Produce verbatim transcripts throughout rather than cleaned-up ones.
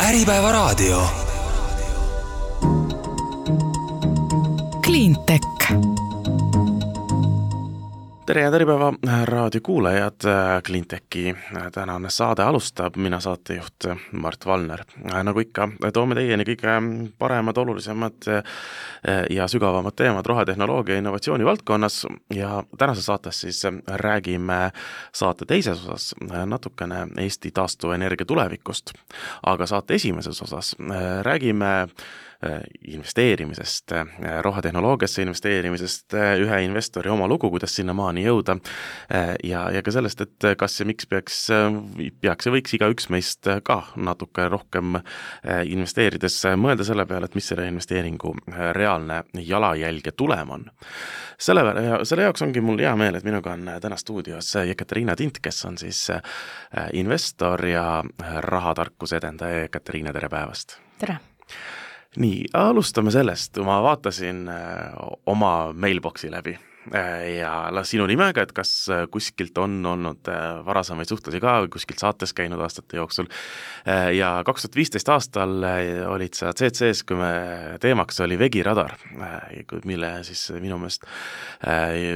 Äripäeva raadio. Cleantech. Tere ja Äripäeva raadio kuulajad, Cleantechi tänane saade alustab, mina saatejuht Mart Valner. Nagu ikka, toome teieni kõige paremad, olulisemad ja sügavamad teemad rohetehnoloogia ja innovatsiooni valdkonnas ja tänase saates siis räägime saate teises osas natukene Eesti taastuvenergia tulevikust, aga saate esimeses osas räägime investeerimisest, rohetehnoloogiasse investeerimisest, ühe investori oma lugu, kuidas sinna maani jõuda ja, ja ka sellest, et kas ja miks peaks, peaks ja võiks iga üks meist ka natuke rohkem investeerides mõelda selle peale, et mis selle investeeringu reaalne jalajälg ja tulem on. Selle, selle jaoks ongi mul hea meel, et minuga on täna stuudios Ekaterina Tint, kes on siis investor ja rahatarkuse edendaja. Ekaterina, tere päevast! Tere! Nii, alustame sellest, ma vaatasin oma mailboxi läbi ja sinu nimega, et kas kuskilt on olnud varasemaid suhtlasi ka, kuskilt saates käinud aastate jooksul ja kaks tuhat viisteist aastal olid sa C C S, kui me teemaks oli vegiradar, mille siis minu meelest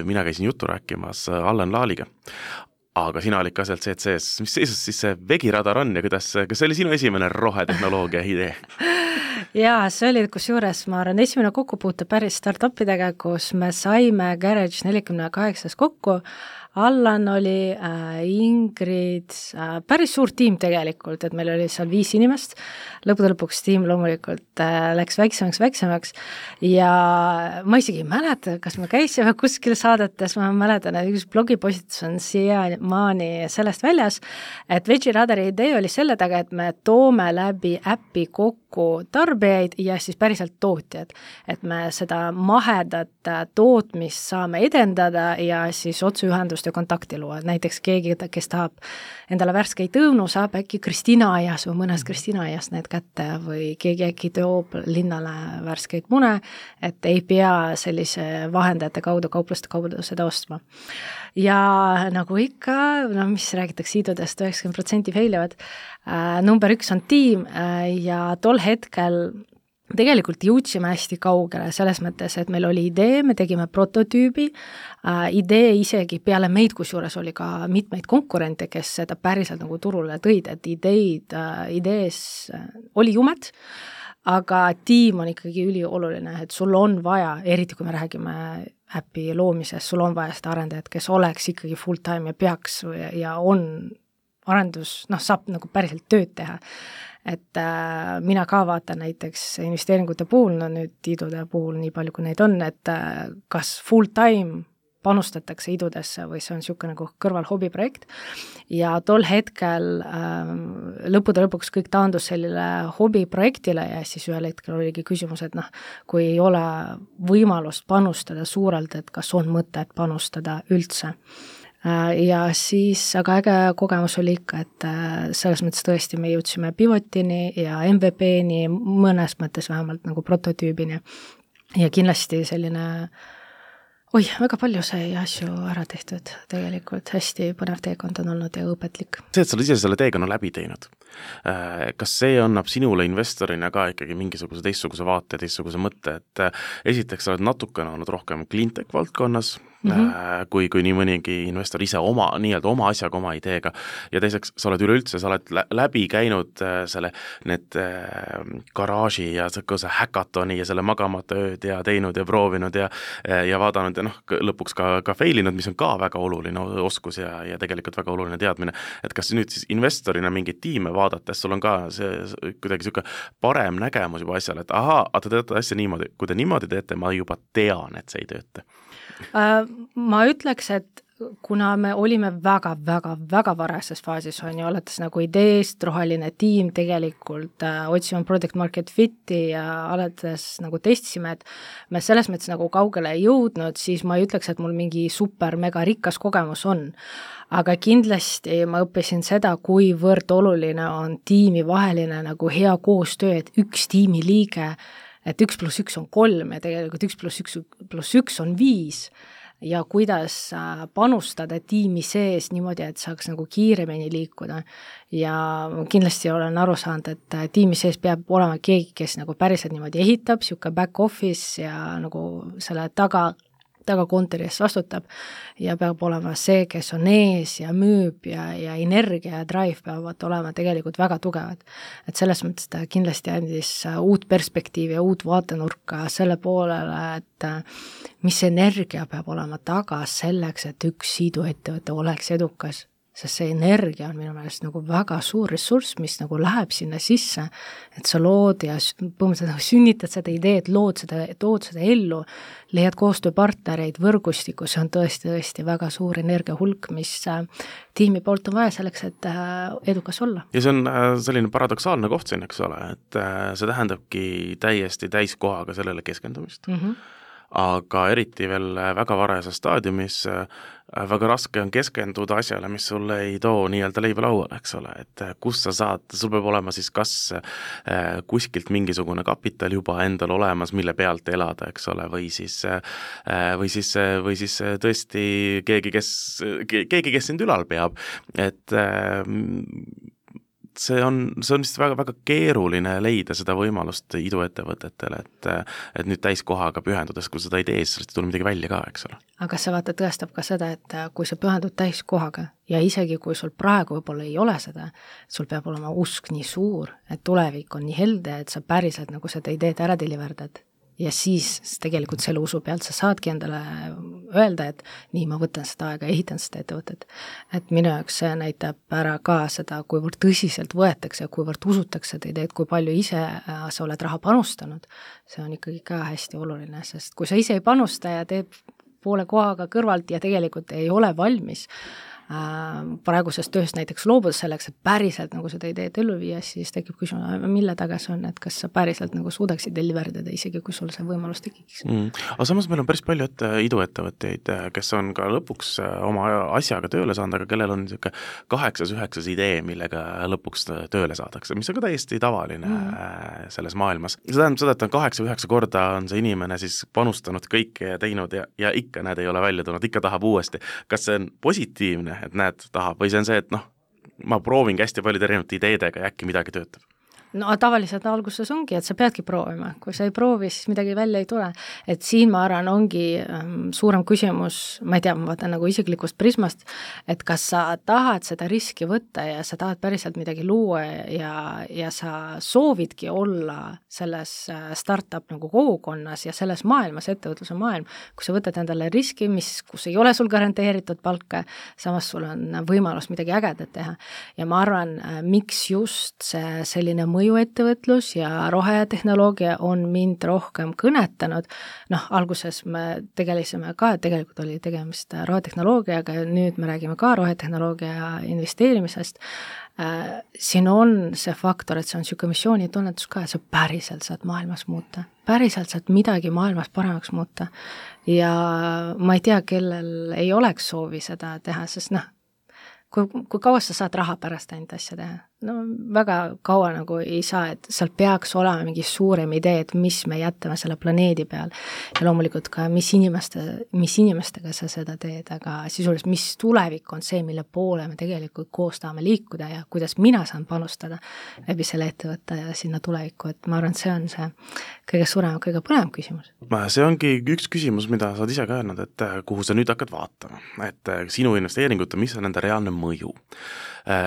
mina käisin juttu rääkimas Allan Laaliga. Aga sina olid ka sealt C C S. Mis seisus siis see vegiradar on ja kuidas, kas see oli sinu esimene rohetehnoloogia idee? Jaa, see oli kusjuures, ma arvan, esimene kokkupuute päris startupidega, kus me saime Garage nelikümmend kaheksa kokku. Allan oli, äh, Ingrid, äh, päris suur tiim tegelikult, et meil oli seal viis inimest. Lõpude lõpuks tiim loomulikult äh, läks väiksemaks, väiksemaks ja ma isegi ei mäleta, kas me käisime kuskil saadetes, ma mäletan, et üks blogipostitus on siia maani sellest väljas, et Vegiradari idee oli selle taga, et me toome läbi äppi kokku tarbijaid ja siis päriselt tootjad, et me seda mahedat tootmist saame edendada ja siis otseühendust ja kontakti luua. Näiteks keegi, kes tahab endale värskeid õunu, saab äkki Kristina aias või mõnes Kristina aias need kätte või keegi äkki toob linnale värskeid mune, et ei pea sellise vahendajate kaudu kaupluste kaudu seda ostma. Ja nagu ikka, no mis räägitakse idudest, üheksakümmend protsenti feilivad, äh, number üks on tiim äh, ja tol hetkel tegelikult jõudsime hästi kaugele selles mõttes, et meil oli idee, me tegime prototüübi, äh, idee isegi peale meid, kusjuures oli ka mitmeid konkurente, kes seda päriselt nagu turule tõid, et ideid, äh, idees äh, oli jumet, aga tiim on ikkagi ülioluline, et sul on vaja, eriti kui me räägime äpi loomisest, sul on vaja seda arendajat, kes oleks ikkagi full time ja peaks ja on arendus, noh, saab nagu päriselt tööd teha. Et äh, mina ka vaatan näiteks investeeringute puhul, no nüüd idude puhul nii palju, kui neid on, et äh, kas full time panustatakse idudesse või see on niisugune nagu kõrval hobiprojekt ja tol hetkel äh, lõpude lõpuks kõik taandus sellele hobiprojektile ja siis ühel hetkel oligi küsimus, et noh, kui ei ole võimalust panustada suurelt, et kas on mõtet panustada üldse. Ja siis, aga äge kogemus oli ikka, et selles mõttes tõesti me jõudsime pivotini ja M V P-ni, mõnes mõttes vähemalt nagu prototüübini ja kindlasti selline, oi, väga palju sai asju ära tehtud tegelikult, hästi põnev teekond on olnud ja õpetlik. See, et sa ise selle teekonna läbi teinud, kas see annab sinule investorina ka ikkagi mingisuguse teistsuguse vaate, teistsuguse mõtte, et esiteks sa oled natukene olnud rohkem Cleantech valdkonnas, Mm-hmm. kui, kui nii mõnigi investor ise oma, nii-öelda oma asjaga, oma ideega ja teiseks sa oled üleüldse, sa oled läbi käinud selle, need garaaži ja see häkatoni ja selle magamata ööd ja teinud ja proovinud ja, ja vaadanud ja noh, lõpuks ka, ka failinud, mis on ka väga oluline oskus ja, ja tegelikult väga oluline teadmine, et kas nüüd siis investorina mingeid tiime vaadates, sul on ka see kuidagi siuke parem nägemus juba asjale, et ahaa, te teete asja niimoodi, kui te niimoodi teete, ma juba tean, et see ei tööta. Ma ütleks, et kuna me olime väga, väga, väga varases faasis, on ju, alates nagu ideest, roheline tiim tegelikult äh, otsime product market fit'i ja alates nagu testisime, et me selles mõttes nagu kaugele ei jõudnud, siis ma ei ütleks, et mul mingi super mega rikas kogemus on. Aga kindlasti ma õppisin seda, kuivõrd oluline on tiimi vaheline nagu hea koostöö, et üks tiimi liige, et üks pluss üks on kolm ja tegelikult üks pluss üks pluss üks on viis. ja kuidas panustada tiimi sees niimoodi, et saaks nagu kiiremini liikuda. Ja kindlasti olen aru saanud, et tiimi sees peab olema keegi, kes nagu päriselt niimoodi ehitab, siuke back office ja nagu selle taga taga kontori eest vastutab ja peab olema see, kes on ees ja müüb ja, ja energia ja drive peavad olema tegelikult väga tugevad. Et selles mõttes ta kindlasti andis uut perspektiivi ja uut vaatenurka selle poolele, et mis energia peab olema taga selleks, et üks iduettevõte oleks edukas. Sest see energia on minu meelest nagu väga suur ressurss, mis nagu läheb sinna sisse, et sa lood ja põhimõtteliselt nagu sünnitad seda ideed, lood seda, tood seda ellu, leiad koostööpartnereid, võrgustiku, see on tõesti, tõesti väga suur energia hulk, mis tiimi poolt on vaja selleks, et edukas olla. Ja see on selline paradoksaalne koht siin, eks ole, et see tähendabki täiesti täiskohaga sellele keskendumist. Mm-hmm. Aga eriti veel väga varajases staadiumis väga raske on keskenduda asjale, mis sulle ei too nii-öelda leiba lauale, eks ole, et kus sa saad, sul peab olema siis kas kuskilt mingisugune kapital juba endal olemas, mille pealt elada, eks ole, või siis, või siis, või siis tõesti keegi, kes, keegi, kes sind ülal peab, et see on, see on vist väga, väga keeruline leida seda võimalust iduettevõtetele, et, et nüüd täiskohaga pühendudes, kui seda ei tee, siis ei tule midagi välja ka, eks ole. Aga see vaata tõestab ka seda, et kui sa pühendud täiskohaga ja isegi kui sul praegu võib-olla ei ole seda, sul peab olema usk nii suur, et tulevik on nii helde, et sa päriselt nagu seda ideed ära deliverdad. Ja siis tegelikult selle usu pealt sa saadki endale öelda, et nii ma võtan seda aega, ehitan seda ettevõtet. Et minu jaoks see näitab ära ka seda, kuivõrd tõsiselt võetakse ja kuivõrd usutakse seda ideed, kui palju ise sa oled raha panustanud. See on ikkagi ka hästi oluline, sest kui sa ise ei panusta ja teed poole kohaga kõrvalt ja tegelikult ei ole valmis praeguses tööst näiteks loobuda selleks, et päriselt nagu seda ideed ellu viia, siis tekib küsimus, mille taga see on, et kas sa päriselt nagu suudaksid deliverdada, isegi kui sul see võimalus tekiks. Mm. Aga samas meil on päris palju et iduettevõtteid, kes on ka lõpuks oma asjaga tööle saanud, aga kellel on niisugune kaheksas, üheksas idee, millega lõpuks tööle saadakse, mis on ka täiesti tavaline mm. selles maailmas. See tähendab seda, et on kaheksa, üheksa korda on see inimene siis panustanud kõike ja teinud ja, ja ikka näed ei ole välja tulnud, ikka tahab uuesti. Kas see on positiivne, et näed tahab, või see on see, et noh, ma proovingi hästi palju erinevate ideedega ja äkki midagi töötab? No tavaliselt alguses ongi, et sa peadki proovima, kui sa ei proovi, siis midagi välja ei tule, et siin ma arvan ongi ähm, suurem küsimus, ma ei tea, ma vaatan nagu isiklikust prismast, et kas sa tahad seda riski võtta ja sa tahad päriselt midagi luua ja, ja sa soovidki olla selles startup nagu kogukonnas ja selles maailmas, ettevõtluse maailm, kui sa võtad endale riski, mis, kus ei ole sul garanteeritud palka, samas sul on võimalus midagi ägedat teha ja ma arvan, miks just see selline mõju mõjuettevõtlus ja rohetehnoloogia on mind rohkem kõnetanud. Noh, alguses me tegelisime ka, et tegelikult oli tegemist rohetehnoloogiaga ja nüüd me räägime ka rohetehnoloogia investeerimisest. Siin on see faktor, et see on siuke missioonitunnetus ka, et sa päriselt saad maailmas muuta. Päriselt saad midagi maailmas paremaks muuta. Ja ma ei tea, kellel ei oleks soovi seda teha, sest noh, kui, kui kaua sa saad raha pärast ainult asja teha? No väga kaua nagu ei saa, et seal peaks olema mingi suurem idee, et mis me jätame selle planeedi peal ja loomulikult ka mis, inimeste, mis inimestega sa seda teed, aga sisuliselt mis tulevik on see, mille poole me tegelikult koos tahame liikuda ja kuidas mina saan panustada läbi selle ettevõtte ja sinna tulevikku, et ma arvan, et see on see kõige suurem, kõige põnev küsimus. See ongi üks küsimus, mida sa oled ise ka öelnud, et kuhu sa nüüd hakkad vaatama, et sinu investeeringute, mis on nende reaalne mõju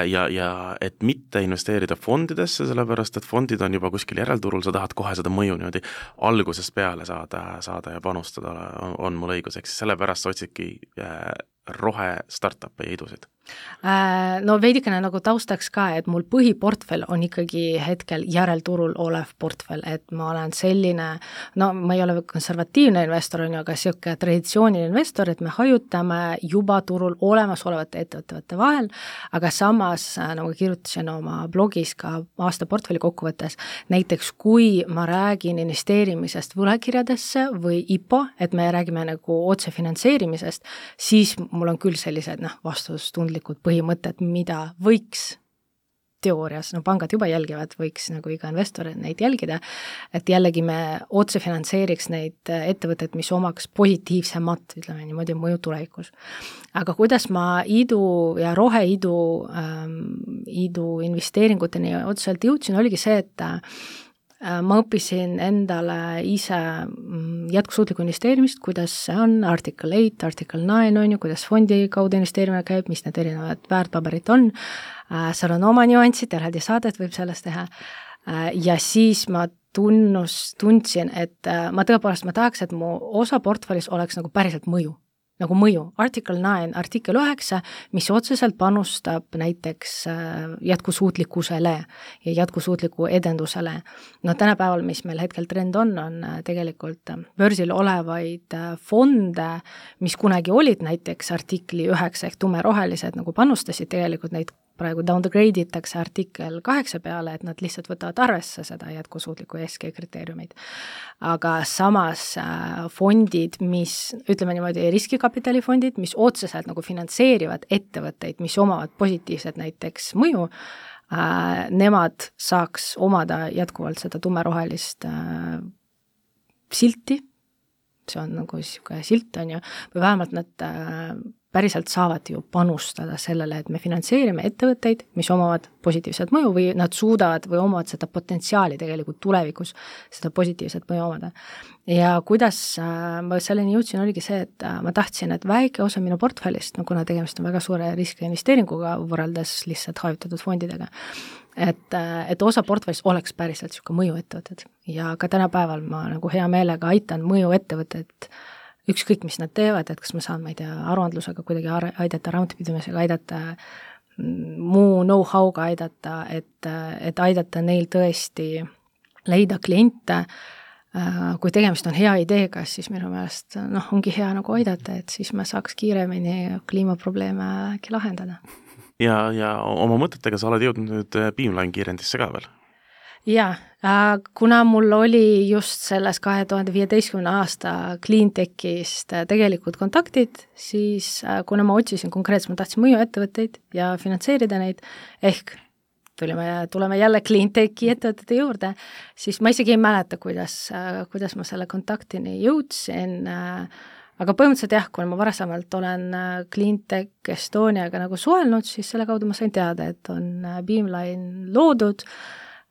ja, ja et mitte investeerida fondidesse, sellepärast et fondid on juba kuskil järelturul, sa tahad kohe seda mõju niimoodi algusest peale saada, saada ja panustada, on, on mul õigus, eks sellepärast sa otsidki rohe startup'e ja idusid. No veidikene nagu taustaks ka, et mul põhiportfell on ikkagi hetkel järelturul olev portfell, et ma olen selline, no ma ei ole konservatiivne investor, on ju, aga siuke traditsiooniline investor, et me hajutame juba turul olemasolevate ettevõtete vahel, aga samas, nagu kirjutasin oma blogis ka aasta portfelli kokkuvõttes, näiteks kui ma räägin investeerimisest võlakirjadesse või I P O, et me räägime nagu otsefinantseerimisest, siis mul on küll sellised noh, vastustundlikud põhimõtted, mida võiks teoorias, no pangad juba jälgivad, võiks nagu iga investor neid jälgida, et jällegi me otse finantseeriks neid ettevõtteid, mis omaks positiivsemat, ütleme niimoodi, mõju tulevikus. Aga kuidas ma idu ja roheidu ähm, idu investeeringuteni otseselt jõudsin, oligi see, et ma õppisin endale ise jätkusuutlikku investeerimist, kuidas see on, artikkel eight, artikkel nine on ju, kuidas fondi kaudu investeerimine käib, mis need erinevad väärtpaberid on, seal on oma nüansid, eraldi saadet võib sellest teha, ja siis ma tunnus, tundsin, et ma tõepoolest, ma tahaks, et mu osa portfellis oleks nagu päriselt mõju. Nagu mõju, artikkel nine, artikkel üheksa, mis otseselt panustab näiteks jätkusuutlikkusele ja jätkusuutliku edendusele. No tänapäeval, mis meil hetkel trend on, on tegelikult börsil olevaid fonde, mis kunagi olid näiteks artikli üheksa ehk tumerohelised, nagu panustasid tegelikult neid praegu downgrade itakse artikkel kaheksa peale, et nad lihtsalt võtavad arvesse seda jätkusuutliku E S G kriteeriumid. Aga samas fondid, mis, ütleme niimoodi, riskikapitalifondid, mis otseselt nagu finantseerivad ettevõtteid, mis omavad positiivset näiteks mõju, äh, nemad saaks omada jätkuvalt seda tumerohelist äh, silti, see on nagu niisugune silt, on ju, või vähemalt nad äh, päriselt saavad ju panustada sellele, et me finantseerime ettevõtteid, mis omavad positiivset mõju või nad suudavad või omavad seda potentsiaali tegelikult tulevikus seda positiivset mõju omada. Ja kuidas ma selleni jõudsin, oligi see, et ma tahtsin, et väike osa minu portfellist, no kuna tegemist on väga suure riski investeeringuga võrreldes lihtsalt hajutatud fondidega, et, et osa portfellist oleks päriselt niisugune mõju ettevõtted. Ja ka tänapäeval ma nagu hea meelega aitan mõju ettevõtted ükskõik, mis nad teevad, et kas ma saan, ma ei tea, aruandlusega kuidagi aidata, raamatupidamisega aidata, muu know-how'ga aidata, et, et aidata neil tõesti leida kliente, kui tegemist on hea ideega, siis minu meelest noh, ongi hea nagu aidata, et siis me saaks kiiremini kliimaprobleeme äkki lahendada. Ja, ja oma mõtetega sa oled jõudnud nüüd Beamline kiirendisse ka veel? Jaa, kuna mul oli just selles kahe tuhande viieteistkümne aasta Cleantechist tegelikult kontaktid, siis kuna ma otsisin konkreetselt, ma tahtsin mõju ettevõtteid ja finantseerida neid, ehk tulime, tuleme jälle Cleantechi ettevõtete juurde, siis ma isegi ei mäleta, kuidas, kuidas ma selle kontaktini jõudsin, aga põhimõtteliselt jah, kui ma varasemalt olen Cleantech Estoniaga nagu suhelnud, siis selle kaudu ma sain teada, et on Beamline loodud,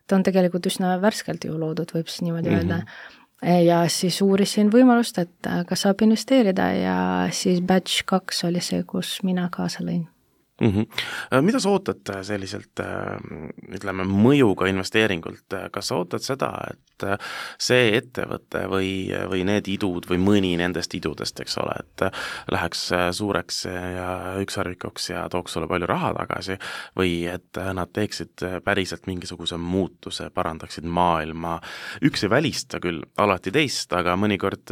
ta on tegelikult üsna värskelt ju loodud, võib siis niimoodi öelda. Mm-hmm. Ja siis uurisin võimalust, et kas saab investeerida ja siis batch kaks oli see, kus mina kaasa lõin. Mm-hmm. Mida sa ootad selliselt, ütleme, mõjuga investeeringult? Kas sa ootad seda, et see ettevõte või, või need idud või mõni nendest idudest, eks ole, et läheks suureks ja ükssarvikuks ja tooks sulle palju raha tagasi või et nad teeksid päriselt mingisuguse muutuse, parandaksid maailma? Üks ei välista küll alati teist, aga mõnikord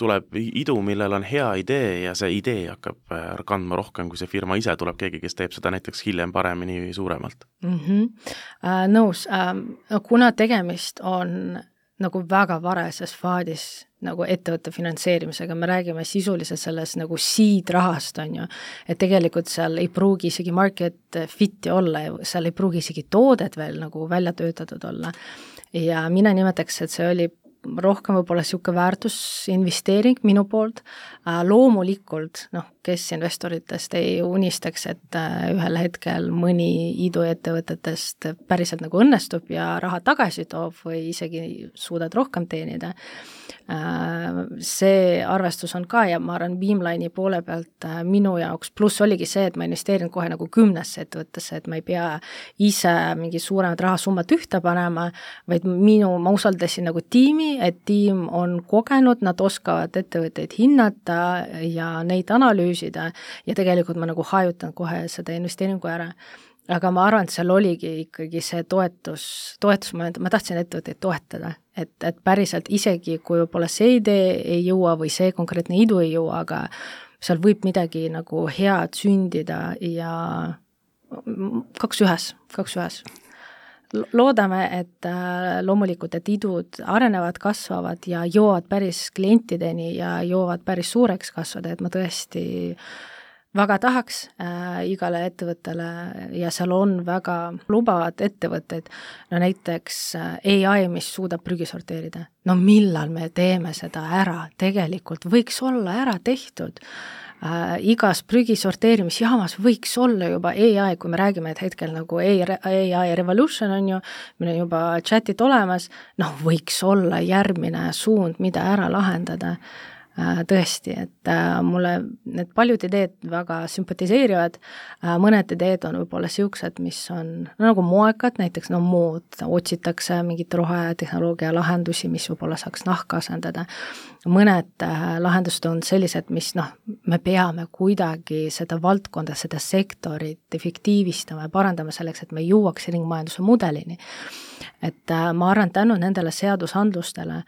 tuleb idu, millel on hea idee ja see idee hakkab kandma rohkem kui see firma ise, tuleb keegi, kes teeb seda näiteks hiljem paremini suuremalt. Mm-hmm. Uh, nõus, uh, kuna tegemist on nagu väga varases faadis nagu ettevõtte finantseerimisega, me räägime sisuliselt selles nagu seed rahast, on ju, et tegelikult seal ei pruugi isegi market fit'i olla, seal ei pruugi isegi toodet veel nagu välja töötatud olla. Ja mina nimetaks, et see oli rohkem võib-olla niisugune väärtusinvesteering minu poolt. Loomulikult, noh, kes investoritest ei unistaks, et ühel hetkel mõni iduettevõtetest päriselt nagu õnnestub ja raha tagasi toob või isegi suudad rohkem teenida. See arvestus on ka ja ma arvan Beamline'i poole pealt minu jaoks, pluss oligi see, et ma investeerin kohe nagu kümnesse ettevõttesse, et ma ei pea ise mingi suuremat rahasummat ühte panema, vaid minu, ma usaldasin nagu tiimi, et tiim on kogenud, nad oskavad ettevõtteid hinnata ja neid analüüsida ja tegelikult ma nagu hajutan kohe seda investeeringu ära. Aga ma arvan, et seal oligi ikkagi see toetus, toetus, ma, ma tahtsin ettevõtteid toetada, et, et päriselt isegi, kui võib-olla see idee ei jõua või see konkreetne idu ei jõua, aga seal võib midagi nagu head sündida ja kaks ühes, kaks ühes. Loodame, et loomulikult, et idud arenevad, kasvavad ja jõuavad päris klientideni ja jõuavad päris suureks kasvada, et ma tõesti väga tahaks äh, igale ettevõttele ja seal on väga lubavad ettevõtteid, no näiteks äh, A I, mis suudab prügi sorteerida. No millal me teeme seda ära? Tegelikult võiks olla ära tehtud. Äh, igas prügi sorteerimisjaamas võiks olla juba A I, kui me räägime, et hetkel nagu A I revolution on ju, meil on juba chatit olemas, noh võiks olla järgmine suund, mida ära lahendada. Tõesti, et mulle need paljud ideed väga sümpatiseerivad, mõned ideed on võib-olla siuksed, mis on no, nagu moekad, näiteks no mood, otsitakse mingit rohetehnoloogia lahendusi, mis võib-olla saaks nahka asendada. Mõned lahendused on sellised, mis noh, me peame kuidagi seda valdkonda, seda sektorit efektiivistama ja parandama selleks, et me jõuaks ringmajanduse mudelini. Et ma arvan, tänu nendele seadusandlustele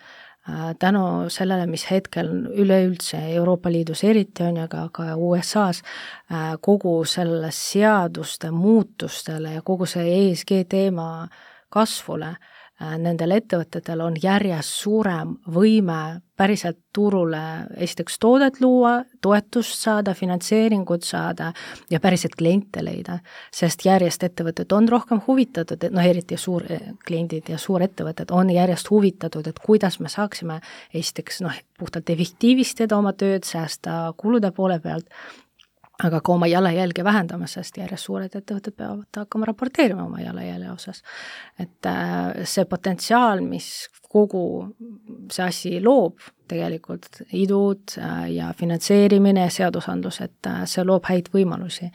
tänu sellele, mis hetkel üleüldse Euroopa Liidus eriti on ja ka, ka U S A-s kogu selle seaduste muutustele ja kogu see E S G teema kasvule, nendel ettevõtetel on järjest suurem võime päriselt turule esiteks toodet luua, toetust saada, finantseeringut saada ja päriselt kliente leida, sest järjest ettevõtted on rohkem huvitatud, noh eriti suur kliendid ja suurettevõtted on järjest huvitatud, et kuidas me saaksime esiteks noh, puhtalt efektiivistada oma tööd, säästa kulude poole pealt, aga ka oma jalajälge vähendama, sest järjest suured ettevõtted peavad hakkama raporteerima oma jalajälje osas. Et see potentsiaal, mis kogu see asi loob, tegelikult idud ja finantseerimine ja seadusandlus, et see loob häid võimalusi.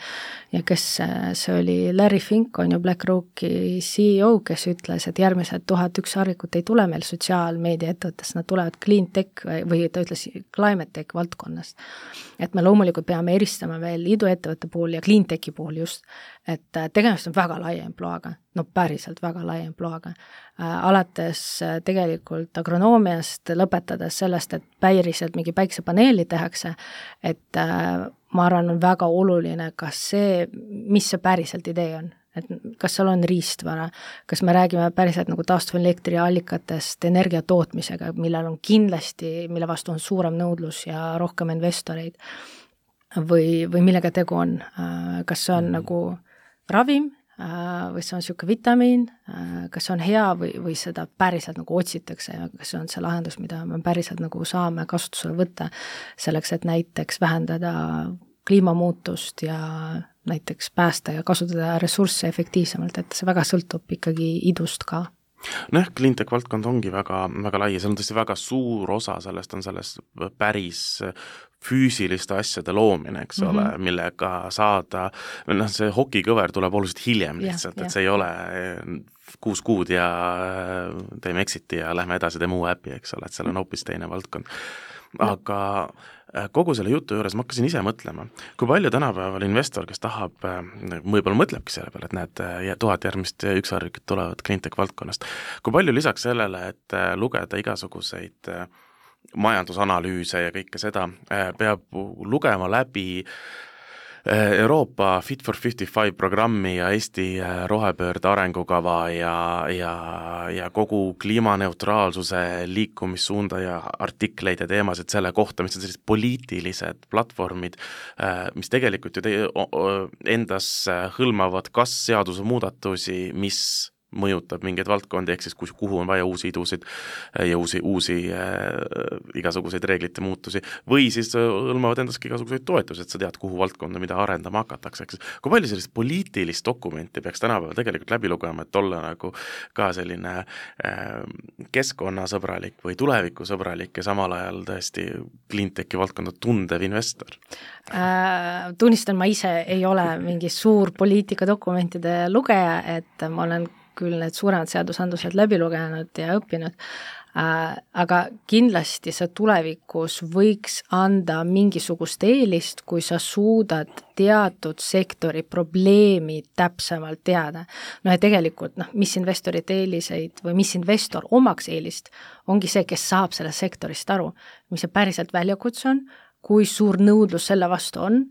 Ja kes see oli, Larry Fink on ju BlackRocki C E O, kes ütles, et järgmised tuhat üks harvikut ei tule meil sotsiaalmeedia ettevõttest, nad tulevad clean tech või ta ütles climate tech valdkonnast. Et me loomulikult peame eristama veel iduettevõtte puhul ja clean techi puhul just, et tegemist on väga laia emploaga, no päriselt väga laia emploaga. Alates tegelikult agronoomiast lõpetades sellest, et päriselt mingi päiksepaneeli tehakse, et ma arvan, on väga oluline, kas see, mis see päriselt idee on, et kas seal on riistvara, kas me räägime päriselt nagu taastuvelektriallikatest energia tootmisega, millel on kindlasti, mille vastu on suurem nõudlus ja rohkem investoreid, või, või millega tegu on, kas see on nagu ravim, või see on niisugune vitamiin, kas see on hea või, või seda päriselt nagu otsitakse ja kas see on see lahendus, mida me päriselt nagu saame kasutusele võtta selleks, et näiteks vähendada kliimamuutust ja näiteks päästa ja kasutada ressursse efektiivsemalt, et see väga sõltub ikkagi idust ka. No jah, cleantech valdkond ongi väga, väga lai ja see on tõesti väga suur osa sellest on sellest päris füüsiliste asjade loomine, eks mm-hmm. ole, millega saada, noh, see hokikõver tuleb oluliselt hiljem lihtsalt, yeah, et see yeah. ei ole kuus kuud ja teeme exiti ja lähme edasi, teeme uue äpi, eks ole, et seal on hoopis teine valdkond. Aga kogu selle jutu juures ma hakkasin ise mõtlema, kui palju tänapäeval investor, kes tahab, võib-olla mõtlebki selle peale, et näed, tuhat järgmist ükssarvikut tulevad cleantech valdkonnast, kui palju lisaks sellele, et lugeda igasuguseid majandusanalüüse ja kõike seda, peab lugema läbi Euroopa Fit for viiskümmend viis programmi ja Eesti rohepöörde arengukava ja, ja, ja kogu kliimaneutraalsuse liikumissuunda ja artikleid ja teemasid selle kohta, mis on sellised poliitilised platvormid, mis tegelikult ju te, endas hõlmavad kas seadusemuudatusi, mis mõjutab mingeid valdkondi, ehk siis kuhu on vaja uusi idusid ja uusi, uusi äh, igasuguseid reeglite muutusi, või siis hõlmavad endaski igasuguseid toetusi, et sa tead, kuhu valdkonda, mida arendama hakatakse, eks. Kui palju sellist poliitilist dokumenti peaks tänapäeval tegelikult läbi lugema, et olla nagu ka selline äh, keskkonnasõbralik või tulevikusõbralik ja samal ajal tõesti cleantechi valdkonda tundev investor? Äh, tunnistan, ma ise ei ole mingi suur poliitikadokumentide lugeja, et ma olen küll need suuremad seadusandlused läbi lugenud ja õppinud, äh, aga kindlasti see tulevikus võiks anda mingisugust eelist, kui sa suudad teatud sektori probleemi täpsemalt teada. No ja tegelikult, noh, mis investorid eeliseid või mis investor omaks eelist, ongi see, kes saab sellest sektorist aru, mis see päriselt väljakutse on, kui suur nõudlus selle vastu on,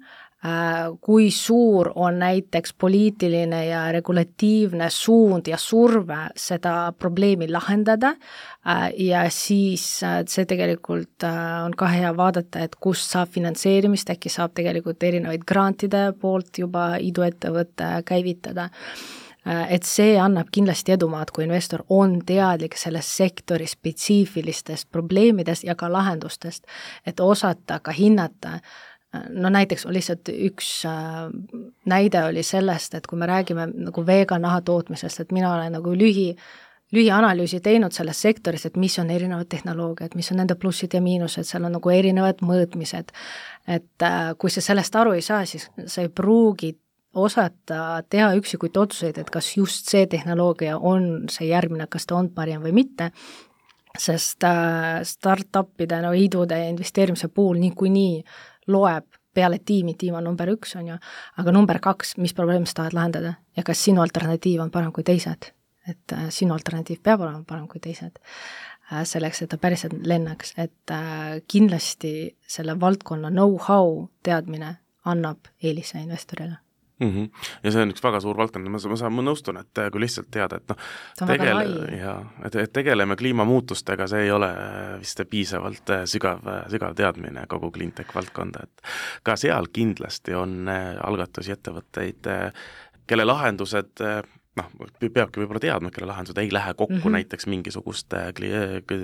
kui suur on näiteks poliitiline ja regulatiivne suund ja surve seda probleemi lahendada ja siis see tegelikult on ka hea vaadata, et kust saab finantseerimist, äkki saab tegelikult erinevaid grantide poolt juba iduettevõtte käivitada. Et see annab kindlasti edumaad, kui investor on teadlik selles sektori spetsiifilistest probleemidest ja ka lahendustest, et osata ka hinnata. No näiteks lihtsalt üks näide oli sellest, et kui me räägime nagu vegan naha tootmisest, et mina olen nagu lühi, lühianalüüsi teinud selles sektoris, et mis on erinevad tehnoloogiad, mis on nende plussid ja miinused, seal on nagu erinevad mõõtmised. Et kui sa sellest aru ei saa, siis sa ei pruugi osata teha üksikuid otsuseid, et kas just see tehnoloogia on see järgmine, kas ta on parim või mitte, sest startupide, no idude investeerimise puhul niikuinii loeb peale tiimi, tiim on number üks, on ju, aga number kaks, mis probleem sa tahad lahendada ja kas sinu alternatiiv on parem kui teised, et sinu alternatiiv peab olema parem kui teised, selleks, et ta päriselt lennaks, et kindlasti selle valdkonna know-how teadmine annab eelise investorile. Mm -hmm. Ja see on üks väga suur valdkond, ma, ma, ma nõustun, et kui lihtsalt teada, et noh, tegele, ja, et, et tegeleme kliimamuutustega, see ei ole vist piisavalt sügav, sügav teadmine kogu cleantech valdkonda, et ka seal kindlasti on algatusi ettevõtteid, kelle lahendused noh, peabki võib-olla teadma, kelle lahendused ei lähe kokku mm -hmm. näiteks mingisuguste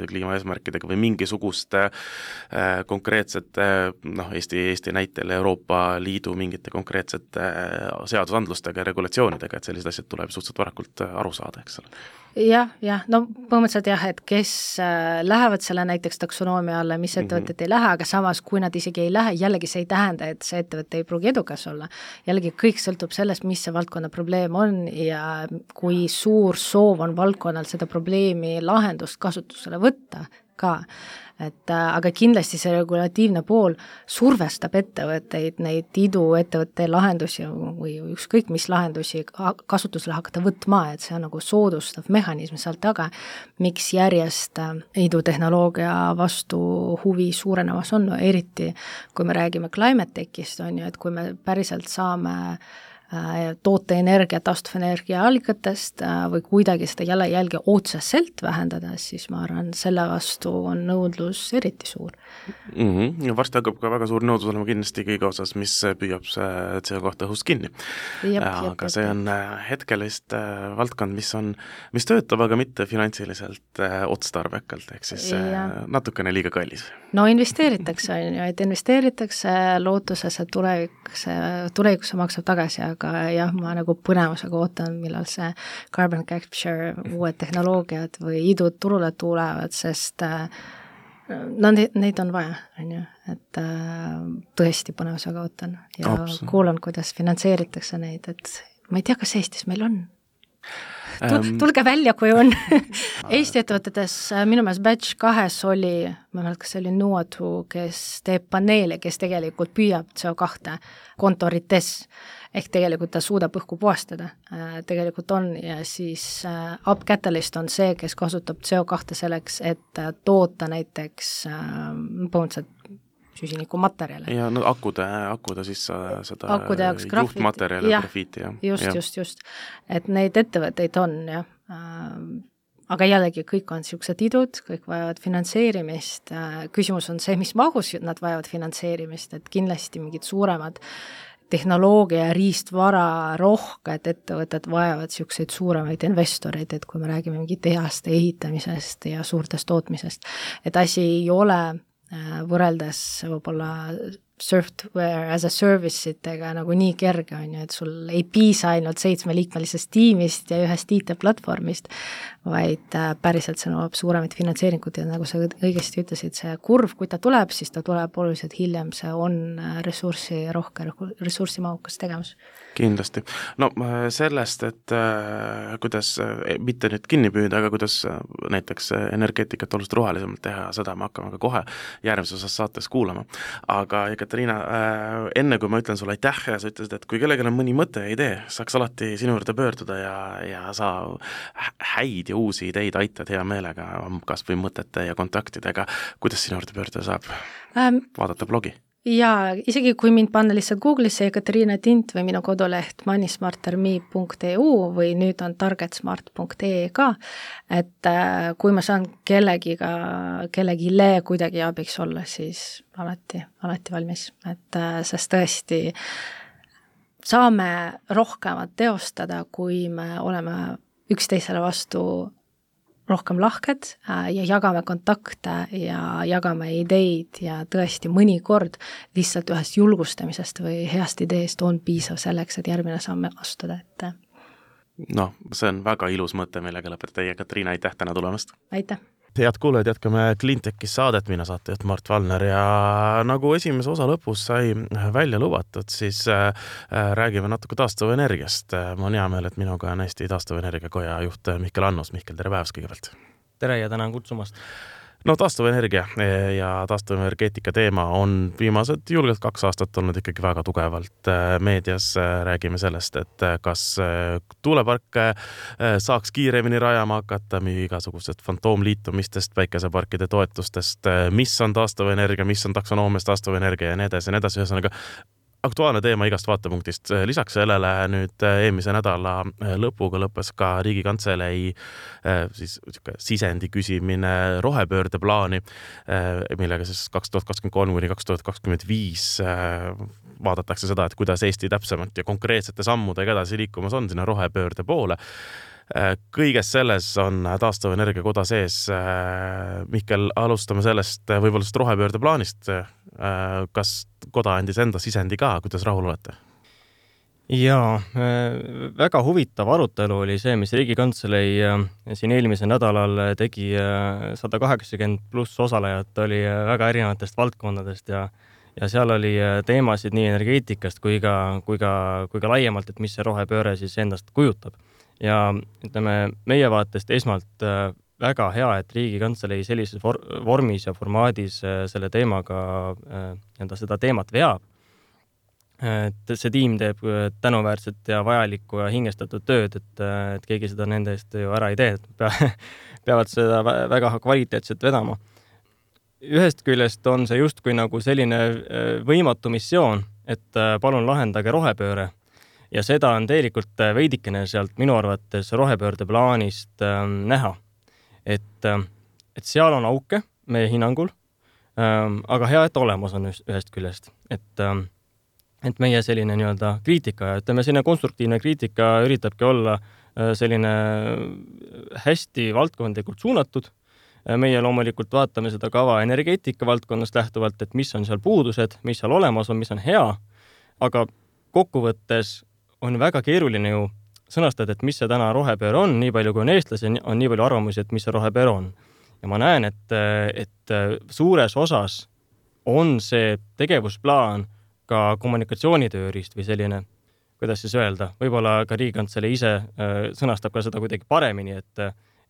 kliimaeesmärkidega või mingisuguste äh, konkreetsete, noh, Eesti, Eesti näitel Euroopa Liidu mingite konkreetsete äh, seadusandlustega ja regulatsioonidega, et sellised asjad tuleb suhteliselt varakult aru saada, eks ole. Jah, jah, no põhimõtteliselt jah, et kes äh, lähevad selle näiteks taksonoomia alla, mis ettevõtted mm -hmm. ei lähe, aga samas, kui nad isegi ei lähe, jällegi see ei tähenda, et see ettevõte ei pruugi edukas olla. Jällegi kõik sõltub sellest, mis see valdkonna probleem on ja kui suur soov on valdkonnal seda probleemi lahendust kasutusele võtta ka. Et, aga kindlasti see regulatiivne pool survestab ettevõtteid, neid iduettevõtte lahendusi või ükskõik mis lahendusi kasutusele hakata võtma, et see on nagu soodustav mehhanism seal taga, miks järjest idutehnoloogia vastu huvi suurenemas on, no eriti kui me räägime climate tech'ist, on ju, et kui me päriselt saame toote energia, taastuvenergia allikatest või kuidagi seda jalajälge otseselt vähendada, siis ma arvan, selle vastu on nõudlus eriti suur. Mm -hmm. Ja varsti hakkab ka väga suur nõudlus olema kindlasti kõige osas, mis püüab see C O kahe õhust kinni. Jep, aga jep, see on hetkelist valdkond, mis on, mis töötab, aga mitte finantsiliselt otstarbekalt, ehk siis ja. natukene liiga kallis. No investeeritakse, on ju, et investeeritakse lootuses, et tulevikus, tulevikus maksab tagasi, aga aga jah, ma nagu põnevusega ootan, millal see carbon capture, uued tehnoloogiad või idud turule tulevad, sest no neid on vaja, on ju, et tõesti põnevusega ootan ja Absolut. kuulan, kuidas finantseeritakse neid, et ma ei tea, kas Eestis meil on. Tulge välja, kui on. Eesti ettevõtetes minu meelest batch kahes oli, ma mälet, kas see oli Nuotu, kes teeb paneele, kes tegelikult püüab C O kahe kontorites, ehk tegelikult ta suudab õhku puhastada, tegelikult on, ja siis Up Catalyst on see, kes kasutab C O kahe selleks, et toota näiteks põhimõtteliselt süsiniku materjale. Ja no akude, akude siis seda akude juhtmaterjale, grafiiti. Ja. Just, ja. just, just. Et neid ettevõtteid on, jah. Aga jällegi kõik on siuksed idud, kõik vajavad finantseerimist. Küsimus on see, mis mahus nad vajavad finantseerimist, et kindlasti mingid suuremad tehnoloogia ja riistvara rohked ettevõtted vajavad siukseid suuremaid investoreid, et kui me räägime mingi tehaste ehitamisest ja suurtest tootmisest, et asi ei ole võrreldes võib-olla software as a service itega nagu nii kerge on ju, et sul ei piisa ainult seitsmeliikmelisest tiimist ja ühest I T-platvormist, vaid päriselt see nõuab suuremaid finantseeringut ja nagu sa õigesti ütlesid, see kurv, kui ta tuleb, siis ta tuleb oluliselt hiljem, see on ressurssi rohke, ressursimahukas tegevus. Kindlasti. No sellest, et äh, kuidas, mitte nüüd kinni püüda, aga kuidas näiteks energeetikat oluliselt rohelisemalt teha, seda me hakkame ka kohe järgmises osas saates kuulama. Aga Katariina, äh, enne kui ma ütlen sulle aitäh ja sa ütlesid, et kui kellelgi on mõni mõte ja idee, saaks alati sinu juurde pöörduda ja, ja sa häid ja uusi ideid aitad hea meelega, kas või mõtete ja kontaktidega, kuidas sinu juurde pöörduda saab? Ähm, vaadata blogi? Jaa, isegi kui mind panna lihtsalt Google'isse Ekaterina Tint või minu koduleht moneysmarter.me punkt e u või nüüd on targetsmart punkt e e ka, et kui ma saan kellegiga, kellegile kuidagi abiks olla, siis alati, alati valmis, et sest tõesti saame rohkemat teostada, kui me oleme üksteisele vastu rohkem lahked ja jagame kontakte ja jagame ideid ja tõesti mõnikord lihtsalt ühest julgustamisest või heast ideest on piisav selleks, et järgmine samme astuda, et noh, see on väga ilus mõte, millega lõpetada teie, Katriina, aitäh täna tulemast! Aitäh! Head kuulajad, jätkame Cleantechis saadet, mina saatejuht Mart Valner ja nagu esimese osa lõpus sai välja lubatud, siis äh, räägime natuke taastuvenergiast. Ma on hea meel, et minuga on Eesti taastuvenergiakoja juht Mihkel Annus. Mihkel, tere päevast kõigepealt! Tere ja tänan kutsumast! No taastuvenergia ja taastuvenergeetika teema on viimased julgelt kaks aastat olnud ikkagi väga tugevalt meedias. Räägime sellest, et kas tuuleparke saaks kiiremini rajama hakata, igasugused fantoomliitumistest, päikeseparkide toetustest, mis on taastuvenergia, mis on taksonoomias taastuvenergia ja nii edasi ja nii edasi. Ühesõnaga, aktuaalne teema igast vaatepunktist. Lisaks sellele nüüd eelmise nädala lõpuga lõppes ka Riigikantselei siis sisendi küsimine rohepöörde plaani, millega siis kaks tuhat kakskümmend kolm kuni kaks tuhat kakskümmend viis vaadatakse seda, et kuidas Eesti täpsemalt ja konkreetsete sammudega edasi liikumas on sinna rohepöörde poole. Kõiges selles on taastuvenergia koda sees. Mihkel, alustame sellest võib-olla sellest rohepöörde plaanist. Kas koda andis enda sisendi ka, kuidas rahul olete? Jaa, väga huvitav arutelu oli see, mis Riigikantselei siin eelmise nädalal tegi. sada kaheksakümmend pluss osalejat oli väga erinevatest valdkondadest ja ja seal oli teemasid nii energeetikast kui ka, kui ka, kui ka laiemalt, et mis see rohepööre siis endast kujutab. Ja ütleme, meie vaatest esmalt väga hea, et Riigikantselei sellises vormis ja formaadis selle teemaga enda seda teemat veab. Et see tiim teeb tänuväärset ja vajalikku ja hingestatud tööd, et, et keegi seda nende eest ju ära ei tee, et peavad seda väga kvaliteetselt vedama. Ühest küljest on see justkui nagu selline võimatu missioon, et palun lahendage rohepööre. Ja seda on tegelikult veidikene sealt minu arvates rohepöörde plaanist äh, näha. Et, et seal on auke meie hinnangul, äh, aga hea, et olemas on ühest küljest. Et, äh, et meie selline nii-öelda kriitika, ütleme selline konstruktiivne kriitika üritabki olla äh, selline hästi valdkondlikult suunatud. Meie loomulikult vaatame seda kava energeetika valdkonnast lähtuvalt, et mis on seal puudused, mis seal olemas on, mis on hea, aga kokkuvõttes on väga keeruline ju sõnastada, et mis see täna rohepöör on, nii palju kui on eestlasi, on nii palju arvamusi, et mis see rohepöör on. Ja ma näen, et, et suures osas on see tegevusplaan ka kommunikatsioonitööriist või selline, kuidas siis öelda, võib-olla ka Riigikantselei ise sõnastab ka seda kuidagi paremini, et,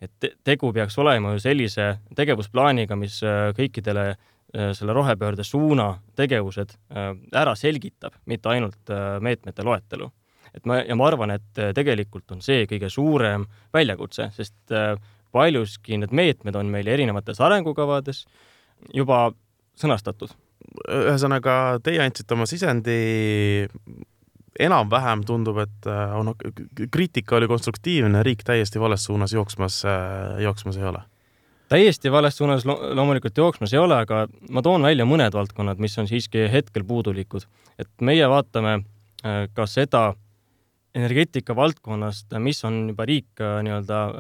et tegu peaks olema ju sellise tegevusplaaniga, mis kõikidele selle rohepöörde suuna tegevused ära selgitab, mitte ainult meetmete loetelu. Et ma, ja ma arvan, et tegelikult on see kõige suurem väljakutse, sest paljuski need meetmed on meil erinevates arengukavades juba sõnastatud. Ühesõnaga, teie andsite oma sisendi, enam-vähem tundub, et on, kriitika oli konstruktiivne, riik täiesti vales suunas jooksmas, jooksmas ei ole. Täiesti vales suunas lo- loomulikult jooksmas ei ole, aga ma toon välja mõned valdkonnad, mis on siiski hetkel puudulikud. Et meie vaatame ka seda energeetika valdkonnast, mis on juba riik nii-öelda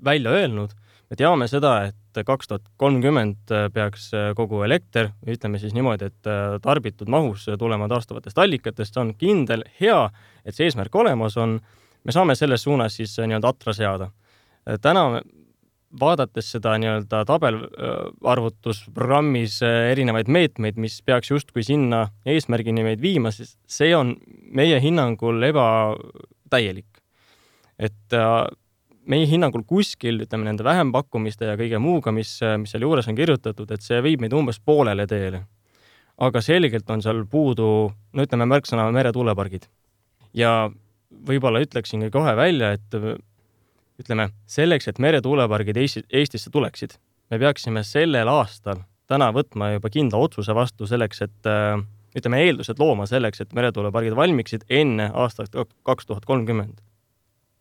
välja öelnud. Me teame seda, et kaks tuhat kolmkümmend peaks kogu elekter, ütleme siis niimoodi, et tarbitud mahus tulema taastuvatest allikatest, on kindel, hea, et see eesmärk olemas on. Me saame selles suunas siis nii-öelda atra seada. Täna vaadates seda nii-öelda tabelarvutusprogrammis erinevaid meetmeid, mis peaks justkui sinna eesmärgini meid viima, siis see on meie hinnangul ebatäielik. Et meie hinnangul kuskil, ütleme nende vähempakkumiste ja kõige muuga, mis, mis seal juures on kirjutatud, et see viib meid umbes poolele teele. Aga selgelt on seal puudu, no ütleme märksõna meretuulepargid. Ja võib-olla ütleksingi kohe välja, et ütleme, selleks, et meretuulepargid Eestisse tuleksid, me peaksime sellel aastal täna võtma juba kindla otsuse vastu selleks, et ütleme eeldused looma selleks, et meretuulepargid valmiksid enne aastat kaks tuhat kolmkümmend.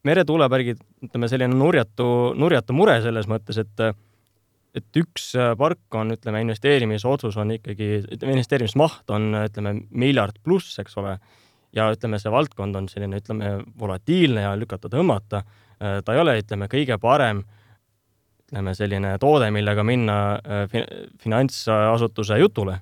Meretuulepargid, ütleme selline nurjatu, nurjatu mure selles mõttes, et et üks park on, ütleme, investeerimise otsus on ikkagi, ütleme, investeerimismaht on, ütleme, miljard pluss, eks ole, ja ütleme, see valdkond on selline, ütleme, volatiilne ja lükata tõmmata. Ta ei ole, ütleme, kõige parem, ütleme, selline toode, millega minna finantsasutuse jutule.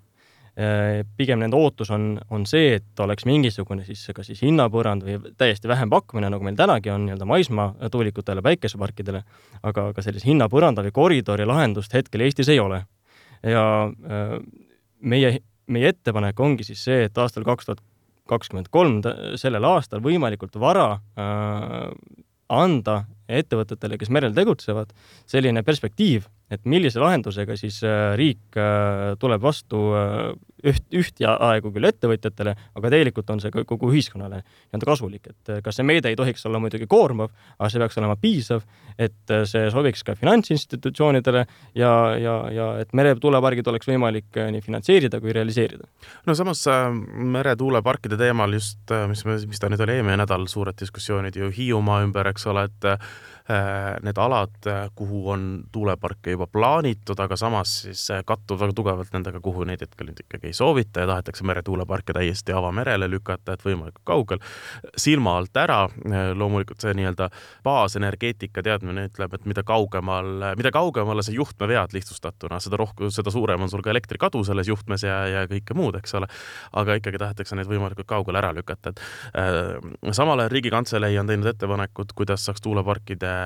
Pigem nende ootus on, on see, et oleks mingisugune siis, ka siis hinnapõrand või täiesti vähem pakkumine, nagu meil tänagi on nii-öelda maismaa tuulikutele, päikeseparkidele, aga ka sellise hinnapõranda või koridori lahendust hetkel Eestis ei ole. Ja meie, meie ettepanek ongi siis see, et aastal kaks tuhat kakskümmend kolm sellel aastal võimalikult vara äh, anda ettevõtetele, kes merel tegutsevad, selline perspektiiv, et millise lahendusega siis riik tuleb vastu üht, üht ja aegu küll ettevõtjatele, aga tegelikult on see kogu ühiskonnale nii-öelda kasulik, et kas see meede ei tohiks olla muidugi koormav, aga see peaks olema piisav, et see sobiks ka finantsinstitutsioonidele ja, ja, ja et meretuulepargid oleks võimalik nii finantseerida kui realiseerida. No samas meretuuleparkide teemal just, mis, mis ta nüüd oli eelmine nädal, suured diskussioonid ju Hiiumaa ümber, eks ole, et need alad, kuhu on tuuleparke juba plaanitud, aga samas siis kattub väga tugevalt nendega, kuhu neid hetkel nüüd ikkagi ei soovita ja tahetakse meretuuleparke täiesti avamerele lükata, et võimalikult kaugel. Silma alt ära, loomulikult see nii-öelda baasenergeetika teadmine ütleb, et mida kaugemal, mida kaugemale see juhtme vead lihtsustatuna, seda rohkem, seda suurem on sul ka elektrikadu selles juhtmes ja, ja kõike muud, eks ole. Aga ikkagi tahetakse neid võimalikult kaugel ära lükata. Et, äh, samal ajal Riigikantselei on teinud ettepanekud, kuidas saaks tuuleparkide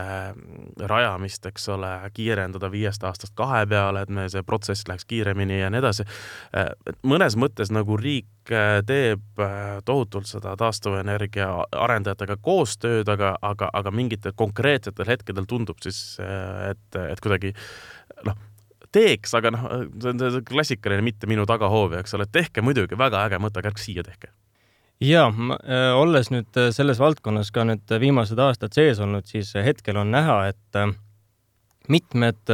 rajamist, eks ole, kiirendada viiest aastast kahe peale, et me see protsess läheks kiiremini ja nii edasi. Mõnes mõttes nagu riik teeb tohutult seda taastuvenergia arendajatega koostööd, aga, aga, aga mingitel konkreetsetel hetkedel tundub siis, et, et kuidagi noh, teeks, aga noh, see on see klassikaline mitte minu tagahoovi, eks ole, tehke muidugi väga äge mõte, kärk siia tehke. Ja, olles nüüd selles valdkonnas ka nüüd viimased aastad sees olnud, siis hetkel on näha, et mitmed